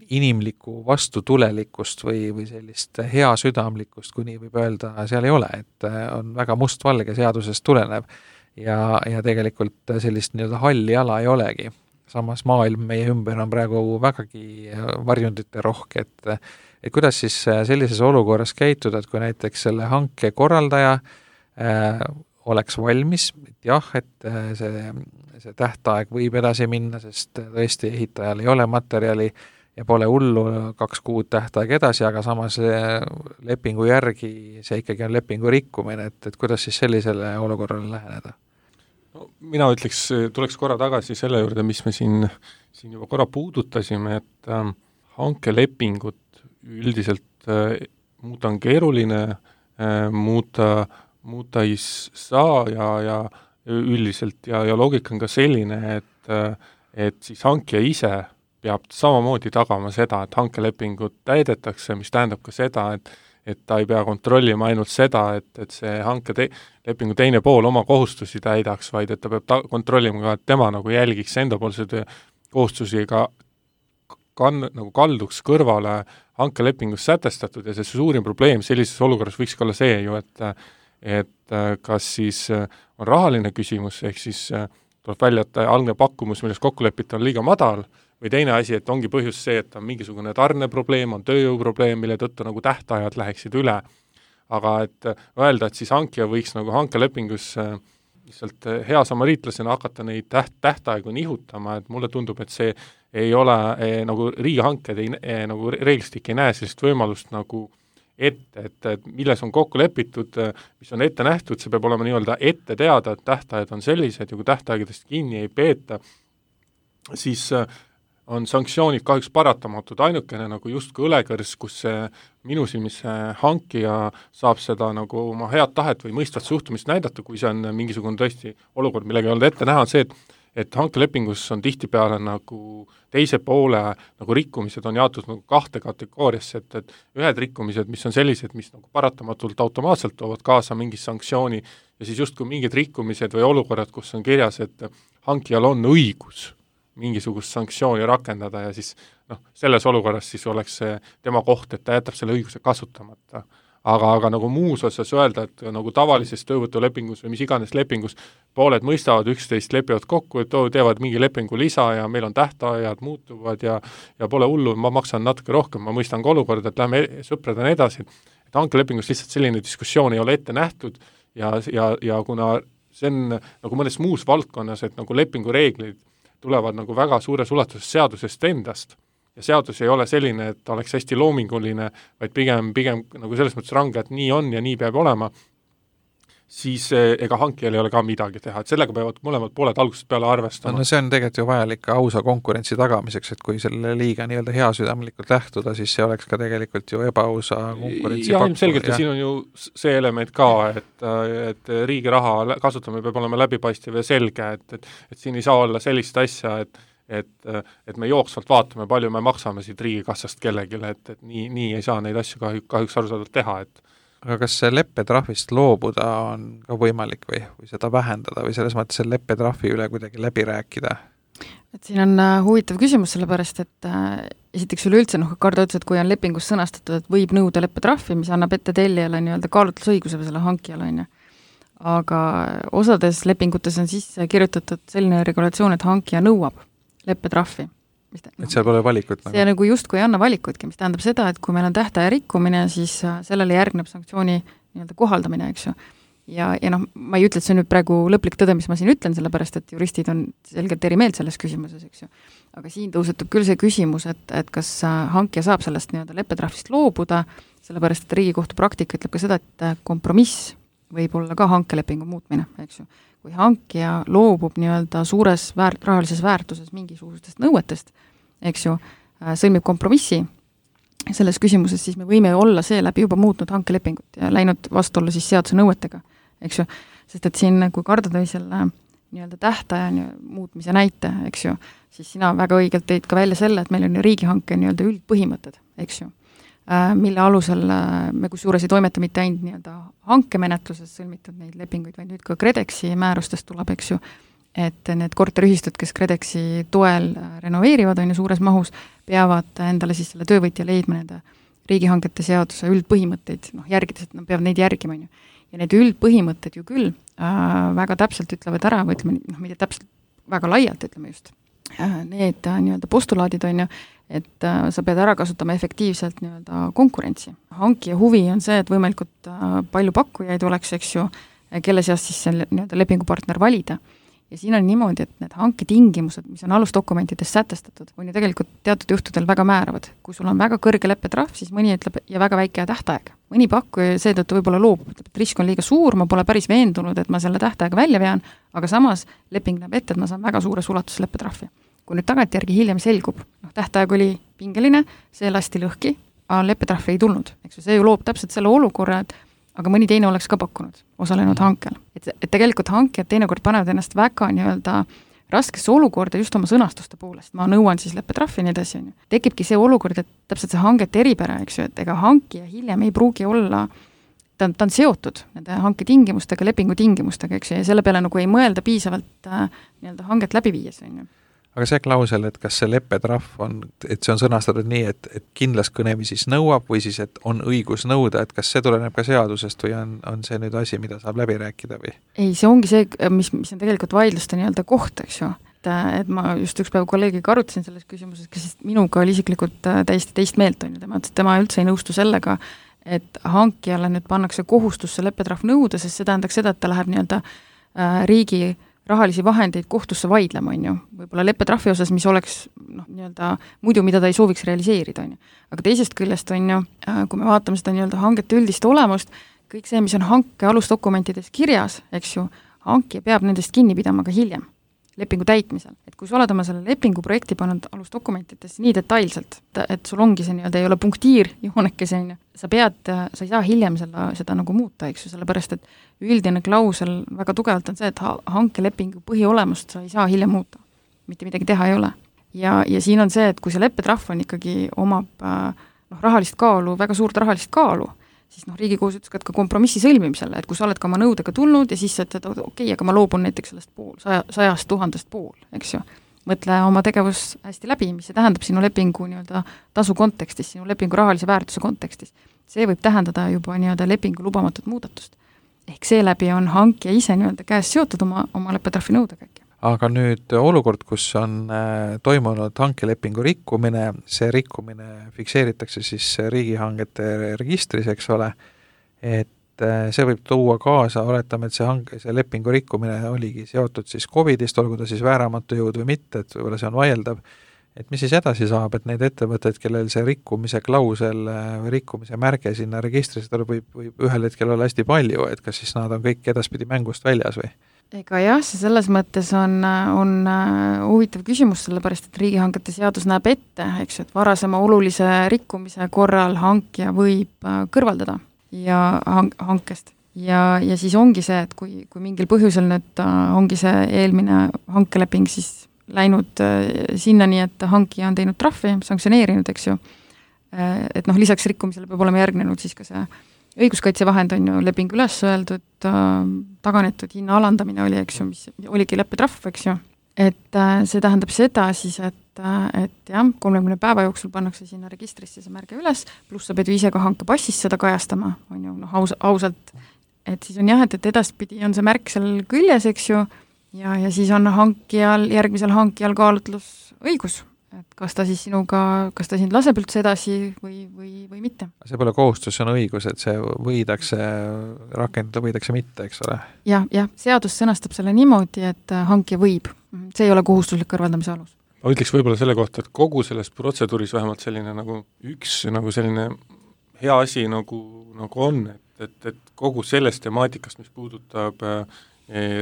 inimlikku vastutulelikkust või sellist heasüdamlikkust, kui nii võib öelda, seal ei ole, et on väga mustvalge seadusest tulenev ja tegelikult sellist nii-öelda halli ala ei olegi. Samas maailm meie ümber on praegu vägagi varjundite rohke, et kuidas siis sellises olukorras käituda, et kui näiteks selle hanke korraldaja oleks valmis, et jah, et see tähtaeg võib edasi minna, sest tõesti ehitajal ei ole materjali ja pole hullu 2 kuud tähtaeg edasi, aga samas lepingu järgi see ikkagi on lepingu rikkumine, et kuidas siis sellisele olukorrale läheneda? No, mina ütleks, tuleks korra tagasi selle juurde, mis me siin juba korra puudutasime, et hankelepingut üldiselt muuta on keeruline, muuta ei saa ja üldiselt ja loogika on ka selline, et siis hankija ise peab samamoodi tagama seda, et hankelepingut täidetakse, mis tähendab ka seda, et ta ei pea kontrollima ainult seda, et see hankelepingu teine pool oma kohustusi täidaks, vaid et ta peab kontrollima ka, et tema nagu jälgiks endapoolseid kohustusi nagu kalduks kõrvale hankelepingus sätestatud ja see suurim probleem sellises olukorras võiks olla see ju, et kas siis on rahaline küsimus, ehk siis tuleb välja, et algne pakkumus, milles kokku lepita, on liiga madal, või teine asi, et ongi põhjus see, et on mingisugune tarneprobleem, on tööjõuprobleem, mille tõttu nagu tähtajad läheksid üle. Aga et öelda, et siis hankija võiks nagu hankelepingus lihtsalt hea samariitlasena hakata neid tähtaegu nihutama, et mulle tundub, et see ei ole nagu riigihanked nagu reeglistik ei näe sellist võimalust nagu ette, et milles on kokku lepitud, mis on ette nähtud, see peab olema nii-öelda ette teada, et tähtajad on sellised ja kui tähtaegadest kinni ei peeta, siis on sanktsioonid kahjuks paratamatud, ainukene nagu justkui õlekõrs, kus minu silmis hankija saab seda nagu oma head tahet või mõistvat suhtumist näidata, kui see on mingisugune tõesti olukord, millega ei olnud ette näha, on see, et hankelepingus on tihtipeale nagu teise poole nagu rikkumised on jaotud nagu 2 kategooriasse, et ühed rikkumised, mis on sellised, mis nagu paratamatult automaatselt toovad kaasa mingi sanktsiooni ja siis justkui mingid rikkumised või olukorrad, kus on kirjas, et hankijal on õigus mingisugust sanktsiooni rakendada ja siis selles olukorras siis oleks see tema koht, et ta jätab selle õiguse kasutamata. aga nagu muus osas öelda, et nagu tavalises töövõtulepingus või mis iganes lepingus pooled mõistavad üksteist, lepivad kokku, et teevad mingi lepingu lisa ja meil on tähtajad, muutuvad ja pole hullu, ma maksan natuke rohkem, ma mõistan ka olukorda, et lähme sõpradena edasi. Et hankelepingus lihtsalt selline diskussioon ei ole ette nähtud ja kuna see on nagu mõnes muus valdkonnas, et nagu lepingureeglid tulevad nagu väga suures ulatuses seadusest endast, ja seadus ei ole selline, et oleks hästi loominguline, vaid pigem nagu selles mõttes range, et nii on ja nii peab olema, siis ega hankijal ei ole ka midagi teha, et sellega peavad mõlemad pooled algusest peale arvestama. No see on tegelikult ju vajalik ka ausa konkurentsi tagamiseks, et kui selle liiga nii-öelda heasüdamlikult lähtuda, siis see oleks ka tegelikult ju ebaausa konkurentsi ja ilmselgelt ja siin on ju see element ka, et riigi raha kasutamine peab olema läbipaistev ja selge, et siin ei saa olla sellist asja, et me jooksvalt vaatame, palju me maksame siit riigikassast kellegile, et nii ei saa neid asju kahjuks arusaadavalt teha, et aga kas see leppetrahvist loobuda on ka võimalik või seda vähendada või selles mõttes selle leppetrahvi üle kuidagi läbi rääkida? Et siin on huvitav küsimus, sellepärast, et esiteks üleüldse, Kardo ütles, et kui on lepingus sõnastatud, et võib nõuda leppetrahvi, mis annab ette tellijale nii-öelda kaalutlusõiguse või selle hankijale, on ju. Aga osades lepingutes on sisse kirjutatud selline regulatsioon, et hankija nõuab leppetrahvi. Et seal pole valikut? See nagu justkui ei anna valikutki, mis tähendab seda, et kui meil on tähtaja rikkumine, siis sellele järgneb sanktsiooni nii-öelda kohaldamine, eks ju. Ja ma ei ütle, et see on nüüd praegu lõplik tõde, mis ma siin ütlen, sellepärast, et juristid on selgelt eri meelt selles küsimuses, eks ju. Aga siin tõusetub küll see küsimus, et kas hankija saab sellest nii-öelda leppetrahvist loobuda, sellepärast, et Riigikohtu praktika ütleb ka seda, et kompromiss võib olla ka hankelepingu muutmine, eks ju. Kui hankija loobub nii-öelda suures rahalises väärtuses mingisugustest nõuetest, eks ju, sõlmib kompromissi selles küsimuses, siis me võime olla seeläbi juba muutnud hankelepingut ja läinud vastuolla siis seaduse nõuetega, eks ju. Sest et siin, kui Kardo tõi selle nii-öelda tähtaja muutmise näite, eks ju, siis sina väga õigelt tõid ka välja selle, et meil on ju riigihanke nii-öelda üldpõhimõtted, eks ju, mille alusel me kusjuures ei toimeta mitte ainult nii-öelda hankemenetluses sõlmitud neid lepinguid, vaid nüüd ka KredExi määrustest tuleb, eks ju, et need korteriühistud, kes KredExi toel renoveerivad, on ju suures mahus, peavad endale siis selle töövõtja leidma nende riigihangete seaduse üldpõhimõtteid, järgides, et nad peavad neid järgima, on ju. Ja need üldpõhimõtted ju küll väga täpselt ütlevad ära, või ütleme, mitte täpselt, väga laialt ütleme just, need nii-öelda postulaadid on ju, et sa pead ära kasutama efektiivselt nii-öelda konkurentsi. Hankija huvi on see, et võimalikult palju pakkujaid oleks, eks ju, kelle seast siis see nii-öelda lepingupartner valida. Ja siin on niimoodi, et need hanketingimused, mis on alusdokumentides sätestatud, on ju tegelikult teatud juhtudel väga määravad. Kui sul on väga kõrge leppetrahv, siis mõni ütleb ja väga väike tähtaeg. Mõni pakkuja seetõttu võib-olla loobub, ütleb, et risk on liiga suur, ma pole päris veendunud, et ma selle tähtaega välja vean, aga samas leping näeb ette, et ma saan väga suures ulatuses leppetrahvi. Kui nüüd tagantjärgi hiljem selgub, tähtaeg oli pingeline, see lasti lõhki, aga leppetrahvi ei tulnud. Eks see ju loob täpselt selle olukorra, et aga mõni teine oleks ka pakkunud, osalenud hankel. Et tegelikult hankijad teinekord panevad ennast väga nii-öelda raskesse olukorda just oma sõnastuste poolest. Ma nõuan siis leppetrahvi nii edasi. Tekibki see olukord, et täpselt see hangete eripära, eks ju, et ega hankija hiljem ei pruugi olla, ta on seotud nende hanke tingimustega, lepingu tingimustega, eks ju, ja selle peale nagu ei mõelda piisavalt nii-öelda hanget läbi viies, on ju. Aga see klausel, et kas see leppetrahv on, et see on sõnastatud nii, et kindlas kõnemi siis nõuab või siis, et on õigus nõuda, et kas see tuleneb ka seadusest või on see nüüd asi, mida saab läbi rääkida või? Ei, see ongi see, mis on tegelikult vaidluste nii-öelda koht, eks ju. Et ma just üks päev kolleegiga arutasin selles küsimuses, kes minuga oli isiklikult täiesti teist meelt, on ju, tema üldse ei nõustu sellega, et hankijale nüüd pannakse kohustusse leppetrahv nõuda, sest see tähendaks seda, et ta läheb nii-öelda riigi rahalisi vahendeid kohtusse vaidlema, on ju, võib-olla leppetrahvi osas, mis oleks nii-öelda muidu, mida ta ei sooviks realiseerida, on ju. Aga teisest küljest on ju, kui me vaatame seda nii-öelda hangete üldist olemust, kõik see, mis on hanke alusdokumentides kirjas, eks ju, hankija peab nendest kinni pidama ka hiljem lepingu täitmisel. Et kui sa oled oma selle lepingu projekti pannud alusdokumentides nii detailselt, et sul ongi see nii-öelda ei ole punktiir joonekese, sa ei saa hiljem seda nagu muuta, eks ju, sellepärast, et üldine klausel väga tugevalt on see, et hankelepingu põhiolemust sa ei saa hiljem muuta. Mitte midagi teha ei ole. Ja siin on see, et kui see leppetrahv on ikkagi omab rahalist kaalu, väga suurt rahalist kaalu, siis Riigikohus ütles ka kompromissi sõlmimisele, et kui sa oled ka oma nõudega tulnud ja siis sa ütled, okei, aga ma loobun näiteks sellest 100 000 pool, eks ju. Mõtle oma tegevus hästi läbi, mis see tähendab sinu lepingu nii-öelda tasu kontekstis, sinu lepingu rahalise väärtuse kontekstis. see võib tähendada juba nii-öelda lepingu lubamatut muudatust. Ehk seeläbi on hankija ise nii-öelda käes seotud oma leppetrahvi nõudega. Aga nüüd olukord, kus on toimunud hankelepingu rikkumine, see rikkumine fikseeritakse siis riigihangete registris, eks ole, et see võib tuua kaasa, oletame, et see lepingu rikkumine oligi seotud siis COVID-ist, olgu ta siis vääramatu jõud või mitte, et võib-olla see on vaieldav, et mis siis edasi saab, et neid ettevõtteid, kellel see rikkumise klausel või rikkumise märge sinna registrisse võib ühel hetkel olla hästi palju, et kas siis nad on kõik edaspidi mängust väljas või? Ega jah, see selles mõttes on huvitav küsimus, sellepärast, et riigihangete seadus näeb ette, eks, et varasema olulise rikkumise korral hankija võib kõrvaldada ja hankest. Ja siis ongi see, et kui mingil põhjusel nüüd ongi see eelmine hankeleping siis läinud sinnani, et hankija on teinud trahvi, sanktsioneerinud, eks ju, et lisaks rikkumisele peab olema järgnenud siis ka see õiguskaitsevahend on ju leping üles öeldud, taganetud hinna alandamine oli, eks ju, mis oligi leppetrahv, eks ju, et see tähendab seda siis, et jah, 30 päeva jooksul pannakse sinna registrisse see märge üles, pluss sa pead ju ise ka hankepassis seda kajastama, on ju, ausalt, et siis on jah, et edaspidi on see märk seal küljes, eks ju, ja siis on järgmisel hankijal kaalutlusõigus, et kas ta siis kas ta sind laseb üldse edasi või mitte. See pole kohustus, see on õigus, et see võidakse rakendada, võidakse mitte, eks ole? Jah, seadus sõnastab selle niimoodi, et hankija võib. See ei ole kohustuslik kõrvaldamise alus. Ma ütleks võib-olla selle kohta, et kogu selles protseduuris vähemalt selline selline hea asi nagu on, et kogu sellest temaatikast, mis puudutab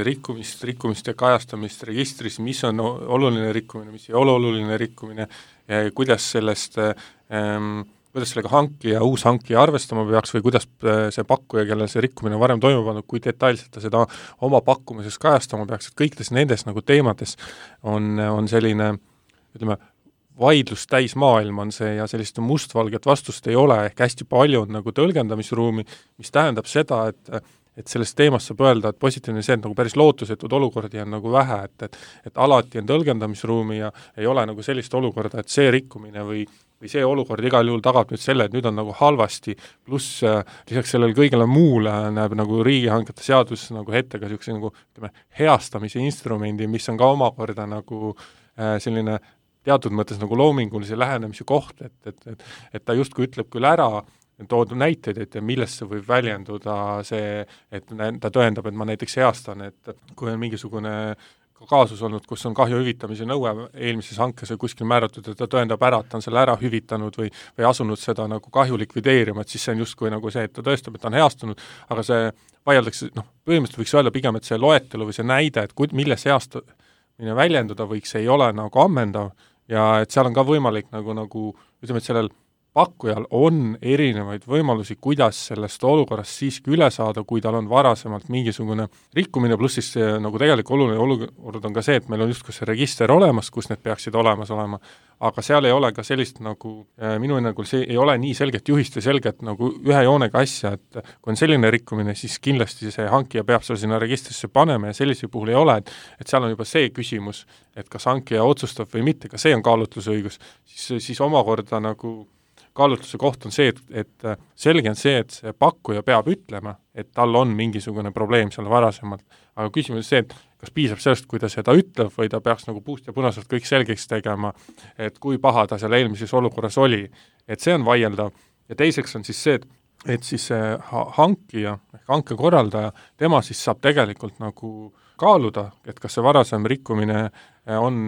rikkumist ja kajastamist registris, mis on oluline rikkumine, mis ei ole oluline rikkumine, kuidas sellega uus hankija arvestama peaks või kuidas see pakkuja, kellel see rikkumine varem toimub pannud, kui detailselt ta seda oma pakkumises kajastama peaks, et kõikides nendes teemades on selline, ütleme, vaidlus täis maailm on see ja sellist mustvalget vastust ei ole, ehk hästi palju on tõlgendamisruumi, mis tähendab seda, et sellest teemast saab öelda, et positiivne see, et päris lootusetud olukordi on vähe, et alati on tõlgendamisruumi ja ei ole sellist olukorda, et see rikkumine või see olukord igal juhul tagab nüüd selle, et nüüd on halvasti, pluss lisaks sellele kõigele muule näeb riigihangete seadus ette ka niisuguse heastamise instrumendi, mis on ka omakorda selline teatud mõttes loomingulise lähenemise koht, et ta justkui ütleb küll ära, toodud näiteid, et millesse võib väljenduda see, et ta tõendab, et ma näiteks heastan, et kui on mingisugune kaasus olnud, kus on kahju hüvitamise nõue eelmises hankes või kuskil määratud, et ta tõendab ära, et ta on selle ära hüvitanud või asunud seda kahju likvideerima, et siis see on justkui see, et ta tõestab, et ta on heastunud, aga see vaieldakse, põhimõtteliselt võiks öelda pigem, et see loetelu või see näide, et milles heastamine väljenduda võiks, ei ole ammendav ja et seal on ka võimalik ütleme, et sellel pakkujal on erinevaid võimalusi, kuidas sellest olukorrast siiski üle saada, kui tal on varasemalt mingisugune rikkumine, pluss siis tegelikult oluline olukord on ka see, et meil on justkui see register olemas, kus need peaksid olemas olema, aga seal ei ole ka sellist minu hinnangul see ei ole nii selget juhist või selget ühe joonega asja, et kui on selline rikkumine, siis kindlasti see hankija peab selle sinna registrisse panema ja sellisel puhul ei ole, et seal on juba see küsimus, et kas hankija otsustab või mitte, ka see on kaalutlusõigus, siis omakorda kaalutluse koht on see, et selge on see, et see pakkuja peab ütlema, et tal on mingisugune probleem seal varasemalt, aga küsimus on see, et kas piisab sellest, kui ta seda ütleb või ta peaks puust ja punaselt kõik selgeks tegema, et kui paha ta seal eelmises olukorras oli, et see on vaieldav ja teiseks on siis see, et siis see hankija, hankekorraldaja, tema siis saab tegelikult kaaluda, et kas see varasem rikkumine on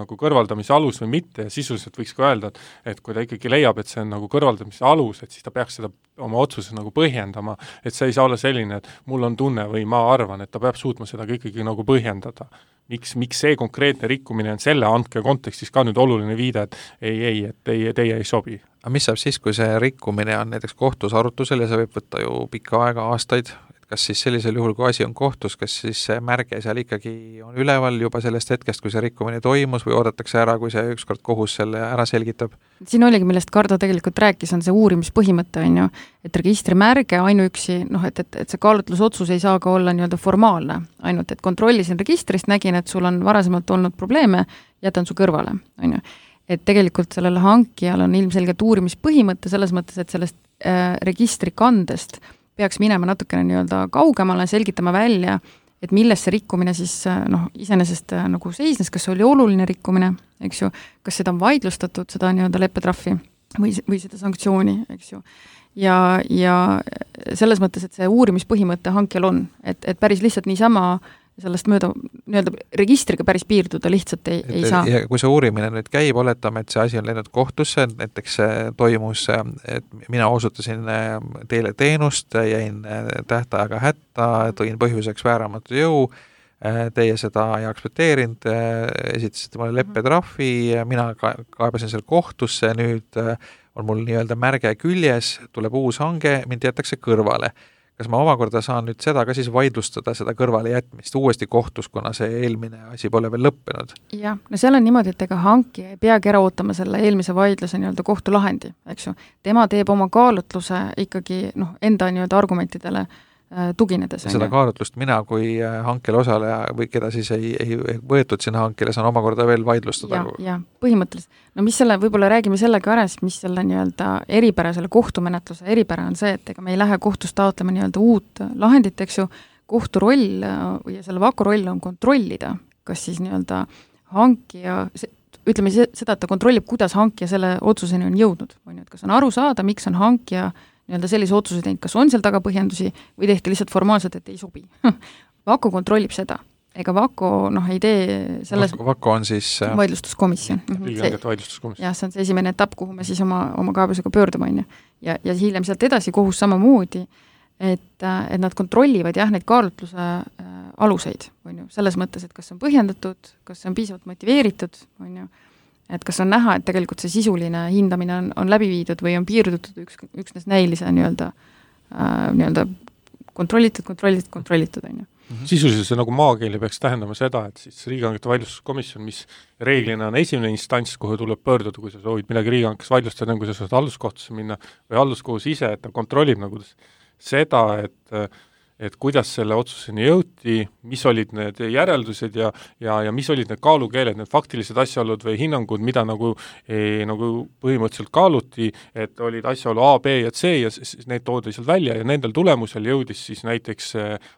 kõrvaldamise alus või mitte ja sisuliselt võiks ka öelda, et kui ta ikkagi leiab, et see on kõrvaldamise alus, et siis ta peaks seda oma otsuses põhjendama, et see ei saa olla selline, et mul on tunne või ma arvan, et ta peab suutma seda ikkagi põhjendada. Miks see konkreetne rikkumine on selle hanke kontekstis ka nüüd oluline viide, et teie ei sobi. Aga mis saab siis, kui see rikkumine on näiteks kohtus arutusel ja see võib võtta ju pikka aega, aastaid, kas siis sellisel juhul, kui asi on kohtus, kas siis see märge seal ikkagi on üleval juba sellest hetkest, kui see rikkumine toimus või oodatakse ära, kui see ükskord kohus selle ära selgitab? Siin oligi, millest Kardo tegelikult rääkis, on see uurimispõhimõte, on ju, et registrimärge ainuüksi, et see kaalutlusotsus ei saa ka olla nii-öelda formaalne, ainult et kontrollisin registrist, nägin, et sul on varasemalt olnud probleeme, jätan su kõrvale, on ju. Et tegelikult sellele hankijal on ilmselgelt uurimispõhimõte selles mõttes, et sellest registrikandest peaks minema natukene nii-öelda kaugemale, selgitama välja, et milles see rikkumine siis iseenesest nagu seisnes, kas see oli oluline rikkumine, eks ju, kas seda on vaidlustatud, seda nii-öelda leppetrahvi või seda sanktsiooni, eks ju. Ja selles mõttes, et see uurimispõhimõte hankjal on, et päris lihtsalt niisama sellest mööda nii-öelda registriga päris piirduda lihtsalt ei saa. Ja kui see uurimine nüüd käib, oletame, et see asi on läinud kohtusse, näiteks toimus, et mina osutasin teile teenust, jäin tähtajaga hätta, tõin põhjuseks vääramatu jõu, teie seda ei aktsepteerinud, esitasite mulle leppetrahvi, mina kaebasin selle kohtusse, nüüd on mul nii-öelda märge küljes, tuleb uus hange, mind jätakse kõrvale. Kas ma omakorda saan nüüd seda ka siis vaidlustada, seda kõrvale jätmist uuesti kohtus, kuna see eelmine asi pole veel lõppenud? Jah, no seal on niimoodi, et ega hankija ei peagi ära ootama selle eelmise vaidluse nii-öelda kohtulahendi, eks ju. Tema teeb oma kaalutluse ikkagi enda nii-öelda argumentidele tuginedes. Seda kaalutlust mina kui hankel osaleja või keda siis ei võetud sinna hankele, saan omakorda veel vaidlustada. Ja põhimõtteliselt. No mis selle, võib-olla räägime sellega ära, mis selle nii-öelda eripära, selle kohtumenetluse eripära on see, et ega me ei lähe kohtust taotlema nii-öelda uut lahendit, eks ju, kohtu roll ja selle VAKO roll on kontrollida, kas siis nii-öelda hankija, ütleme seda, et ta kontrollib, kuidas hankija selle otsuseni on jõudnud, et kas on aru saada, miks on hankija nii-öelda sellise otsuse teinud, kas on seal taga põhjendusi või tehti lihtsalt formaalselt, et ei sobi. VAKO kontrollib seda. Ega VAKO ei tee selles... VAKO on siis... Vaidlustuskomisjon. Vaidlustuskomisjon. See on see esimene etapp, kuhu me siis oma kaebusega pöördume. Ja hiljem sealt edasi kohus samamoodi, et nad kontrollivad neid kaalutluse aluseid. Selles mõttes, et kas on põhjendatud, kas on piisavalt motiveeritud, et kas on näha, et tegelikult see sisuline hindamine on läbi viidud või on piirdutud üksnes näilise nii-öelda kontrollitud. Sisuliselt see nagu maakeeli peaks tähendama seda, et siis riigihangete vaidlustuskomisjon, mis reeglina on esimene instants, kuhu tuleb pöörduda, kui sa soovid midagi riigihankes vaidlustada, kui sa saad halduskohtusse minna või halduskohus ise, et ta kontrollib nagu seda, et kuidas selle otsuseni jõuti, mis olid need järeldused ja mis olid need kaalukeeled, need faktilised asjaolud või hinnangud, mida nagu põhimõtteliselt kaaluti, et olid asjaolu A, B ja C ja need toodi seal välja ja nendel tulemusel jõudis siis näiteks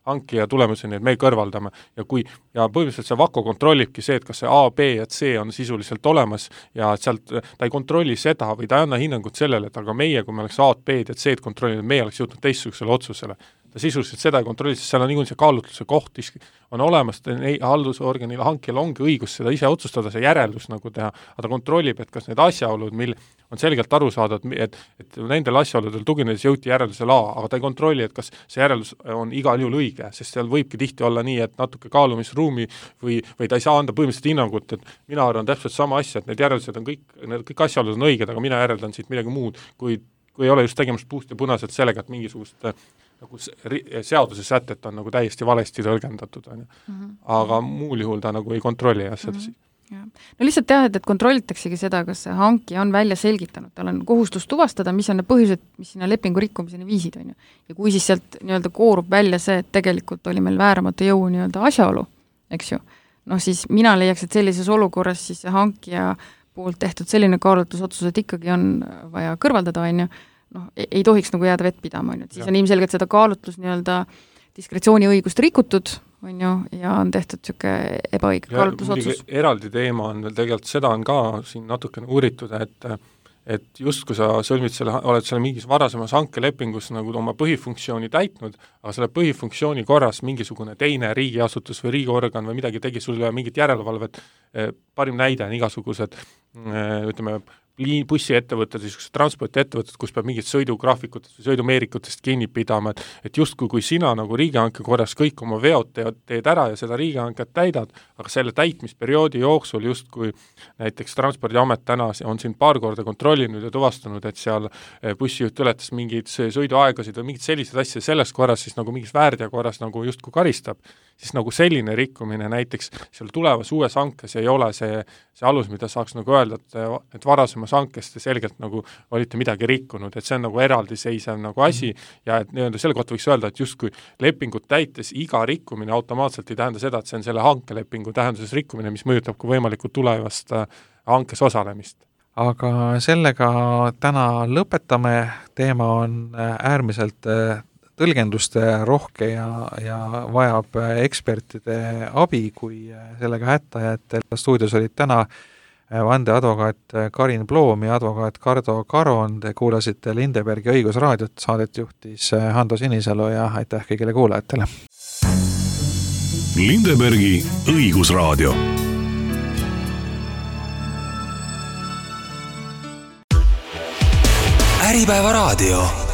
hankija tulemuseni, et me kõrvaldame. Ja põhimõtteliselt see VAKO kontrollibki see, et kas see A, B ja C on sisuliselt olemas ja sealt ta ei kontrolli seda või ta ei anna hinnangut sellele, et aga meie, kui me oleks A, B ja C kontrollinud, meie oleks jõudnud teistsugusele otsusele. Ta sisuliselt seda ei kontrolli, sest seal on niikuinii see kaalutluse koht on olemas, haldusorganil hankijal ongi õigus seda ise otsustada, see järeldus nagu teha, aga ta kontrollib, et kas need asjaolud, mil on selgelt aru saada, et nendel asjaoludel tuginedes jõuti järeldusele A, aga ta ei kontrolli, et kas see järeldus on igal juhul õige, sest seal võibki tihti olla nii, et natuke kaalumisruumi või ta ei saa anda põhimõtteliselt hinnangut, et mina arvan täpselt sama asja, et need järeldused on kõik asjaolud on õiged, aga mina järeldan siit midagi muud, kui ei ole just tegemist puust ja punaselt sellega, et mingisugust nagu seaduse sätet on nagu täiesti valesti tõlgendatud, aga muul juhul ta nagu ei kontrolli seda siin. No lihtsalt teha, et kontrollitaksegi seda, kas see hankija on välja selgitanud, tal on kohustus tuvastada, mis on need põhjused, mis sinna lepingu rikkumiseni viisid, ja kui siis sealt nii-öelda koorub välja see, et tegelikult oli meil vääramatu jõu nii-öelda asjaolu, eks ju, siis mina leiaks, et sellises olukorras siis see hankija poolt tehtud selline kaalutlusotsus, et ikkagi on vaja kõrvaldada, ei tohiks nagu jääda vett pidama, siis on ilmselgelt seda kaalutlus nii-öelda diskretsiooniõigust rikutud, ja on tehtud niisugune ebaõige kaalutlusotsus. Eraldi teema on veel tegelikult, seda on ka siin natukene uuritud, et just kui sa sõlmid oled selle mingis varasemas hankelepingus nagu oma põhifunktsiooni täitnud, aga selle põhifunktsiooni korras mingisugune teine riigiasutus või riigiorgan või midagi tegi sulle mingit järelevalvet, parim näide on igasugused, ütleme, bussiettevõtted, transpordiettevõtted, kus peab mingit sõidugraafikutest või sõidumeerikutest kinni pidama, et justkui kui sina nagu riigihanke korras kõik oma veod teed ära ja seda riigihanket täidad, aga selle täitmisperioodi jooksul justkui näiteks Transpordiamet täna on siin paar korda kontrollinud ja tuvastanud, et seal bussijuht ületas mingeid sõiduaegasid või mingid sellised asja, selles korras siis nagu mingis väärteo korras nagu justkui karistab, siis nagu selline rikkumine näiteks seal tulevas uues hankes ei ole see alus, mida saaks nagu öelda, et varasemas hankest ja selgelt nagu olite midagi rikkunud, et see on nagu eraldiseisev nagu asi ja et nii-öelda selle kohta võiks öelda, et justkui lepingut täites iga rikkumine automaatselt ei tähenda seda, et see on selle hankelepingu tähenduses rikkumine, mis mõjutab ka võimalikult tulevast hankes osalemist. aga sellega täna lõpetame, teema on äärmiselt tõlgenduste rohke ja vajab ekspertide abi, kui sellega hätta jäetel. Stuudios olid täna vandeadvokaat Karin Ploom ja advokaat Kardo Karon. Te kuulasite Lindebergi õigusraadiot, saadet juhtis Hando Sinisalu ja aitäh kõigile kuulajatele. Lindebergi õigusraadio. Äripäeva raadio.